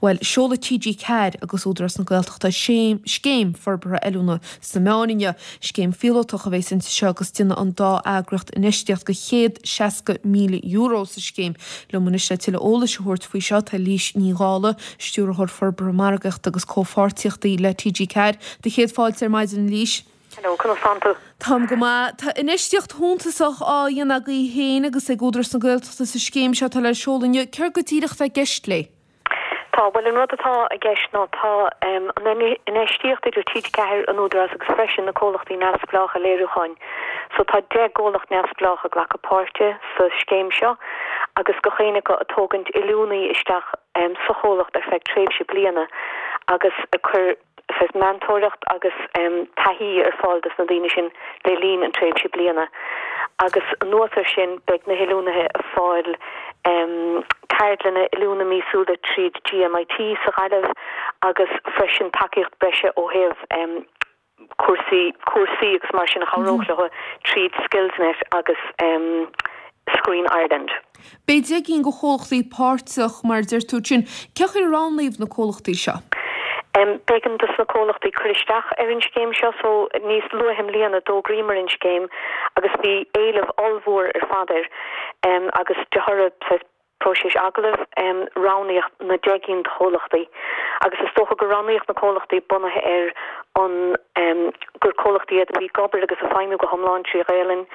Bhuel, seolfaidh TG4 agus Údarás na Gaeltachta scéim forbartha oiliúna sna meáin inniu. Scéim phíolótach a bheas inti seo agus déanfaidh an dá eagraíocht infheistíocht de €160,000 sa scéim. Liom anois le tuilleadh eolais a thabhairt faoi seo tá Lís Ní Dhálaigh, Stiúrthóir Forbartha Margaíochta agus Comhpháirtíochtaí le TG4. Do chéad fáilte ar maidin, a Lís. Hello, conas tánn tú? Táim go maith. Tá infheistíocht shuntasach á dhéanamh agaibh féin agus ag Údarás na Gaeltachta sa scéim seo atá le seoladh inniu. Céard go díreach atá i gceist léi? Tá, bhuel an rud atá i gceist ná tá an infheistíocht idir TG4, an Údarás agus freisin na comhlachtaí neamhspleácha léiriúcháin. So tá 10 gcomhlacht neamhspleách ag glacadh páirte sa scéim seo agus gach éinne acu ag tógaint oiliúnaí isteach sa chomhlacht ar feadh tréimhse bliana agus ag cur saghas meantóireacht agus taithí ar fáil dos na daoine sin le linn an tréimhse bliana agus anuas ar sin beidh na hoiliúnaithe ag fáil ceardlanna oiliúna míosúla tríd GMIT sa Ghaillimh agus freisin tacaíocht breise ó thaobh cúrsaí cúrsaí agus mar sin a chabhródh leo tríd Skillsnet agus Screen Ireland. Beidh 10 gcinn de chomhlachtaí páirteach, mar a deir tú ansin. Cén chaoi ar roghnaíodh na comhlachtaí seo? B'éigean dos na comhlachtaí cur isteach ar an scéim seo so níos luaithe i mbliana d'fhógraíomar an scéim agus bhí éileamh ollmhór ar fad air agus de thoradh saghas próiseas agallaimh roghnaíodh na 10 gcinn de chomhlachtaí agus is dócha gur roghnaíodh na comhlachtaí bunaithe ar an gur comhlachtaí iad a bhí ag obair agus ag feidhmiú go hiomlán trí Ghaelainn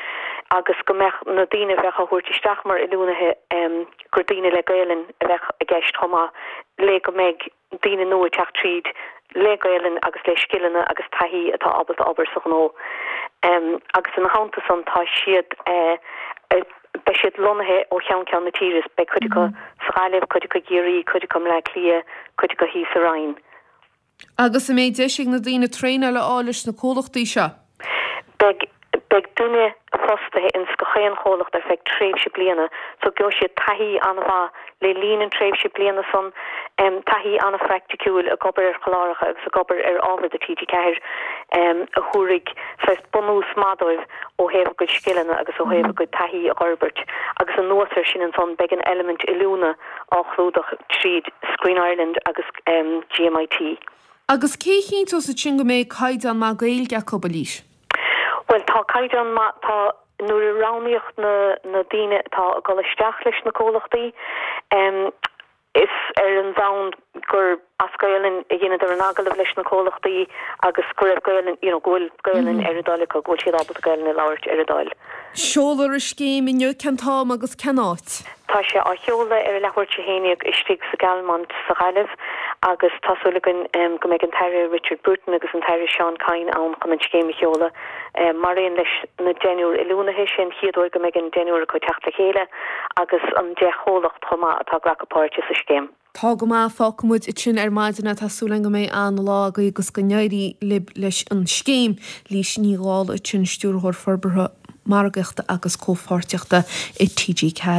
agus go mbeadh na daoine a bheadh á thabhairt isteach mar oiliúnaithe gur daoine le Gaelainn a bheadh i gceist chomh maith le go mbeidh daoine nua ag teacht tríd le Gaelainn agus le scileanna agus taithí atá ábalta obair sa ghnó. Agus ina theannta san tá siad beidh siad lonnaithe ó cheann ceann na tíre, beidh cuid acu sa Ghaillimh, cuid acu i gCiarraí, cuid acu i mBleá Cliath, cuid acu thíos sa Rinn. Agus an mbeidh deis ag na daoine traenáil a fháil leis na comhlachtaí seo? Beidh. Beidh duine fostaithe ins gach aon chomhlacht ar feadh tréimhse bliana so gheobhaidh siad taithí an-mhaith le linn an tréimhse bliana san, taithí an-phraiticiúil ag obair ar chláracha agus ag obair ar ábhar do TG4 a thabharfaidh saghas bunús maith dóibh ó thaobh a gcuid scileanna agus ó thaobh a gcuid taithí a dh'fhorbairt agus anuas air sin ansan beidh an eilimint oiliúna á chlúdach tríd Screen Ireland agus GMIT. Agus cé a chinnteos ansin go mbeidh caighdeán maith Gaeilge acu, a Lís? Bhuel, tá caighdeán maith, tá, nuair a roghnaíodh na, na daoine atá ag dul isteach leis na comhlachtaí, is ar an bhonn gur as Gaelainn a dheineadar an agallamh leis na comhlachtaí agus go raibh Gaelainn, you know, go bhfuil Gaelainn ar a dtoil acu, go bhfuil siad ábalta Gaelainn a labhairt ar a dtoil. Seolfar an scéim inniu, cén t-am agus cén áit? Tá sé á sheoladh ar a leathuair tar éis a haon dhéag istigh sa Galmont sa Ghaillimh agus tá súil againn go mbeidh an tAire Richard Bruton agus an tAire Seán Kyne ann chun an scéim a sheoladh maraon leis na deichniúr oiliúnaithe. Sé an chéad uair go mbeidh an deichniúr acu ag teacht le chéile agus an 10 chomhlacht chomh maith atá ag glacadh páirte sa scéim. Tá go maith, fágfaidh muid ansin ar maidin é. Tá súil againn go mbeidh an-lá agaibh agus go n-éirí libh leis an scéim. Lís Ní Dhálaigh ansin, Stiúrthóir Forbartha Margaíochta agus Comhpháirtíochta i TG4.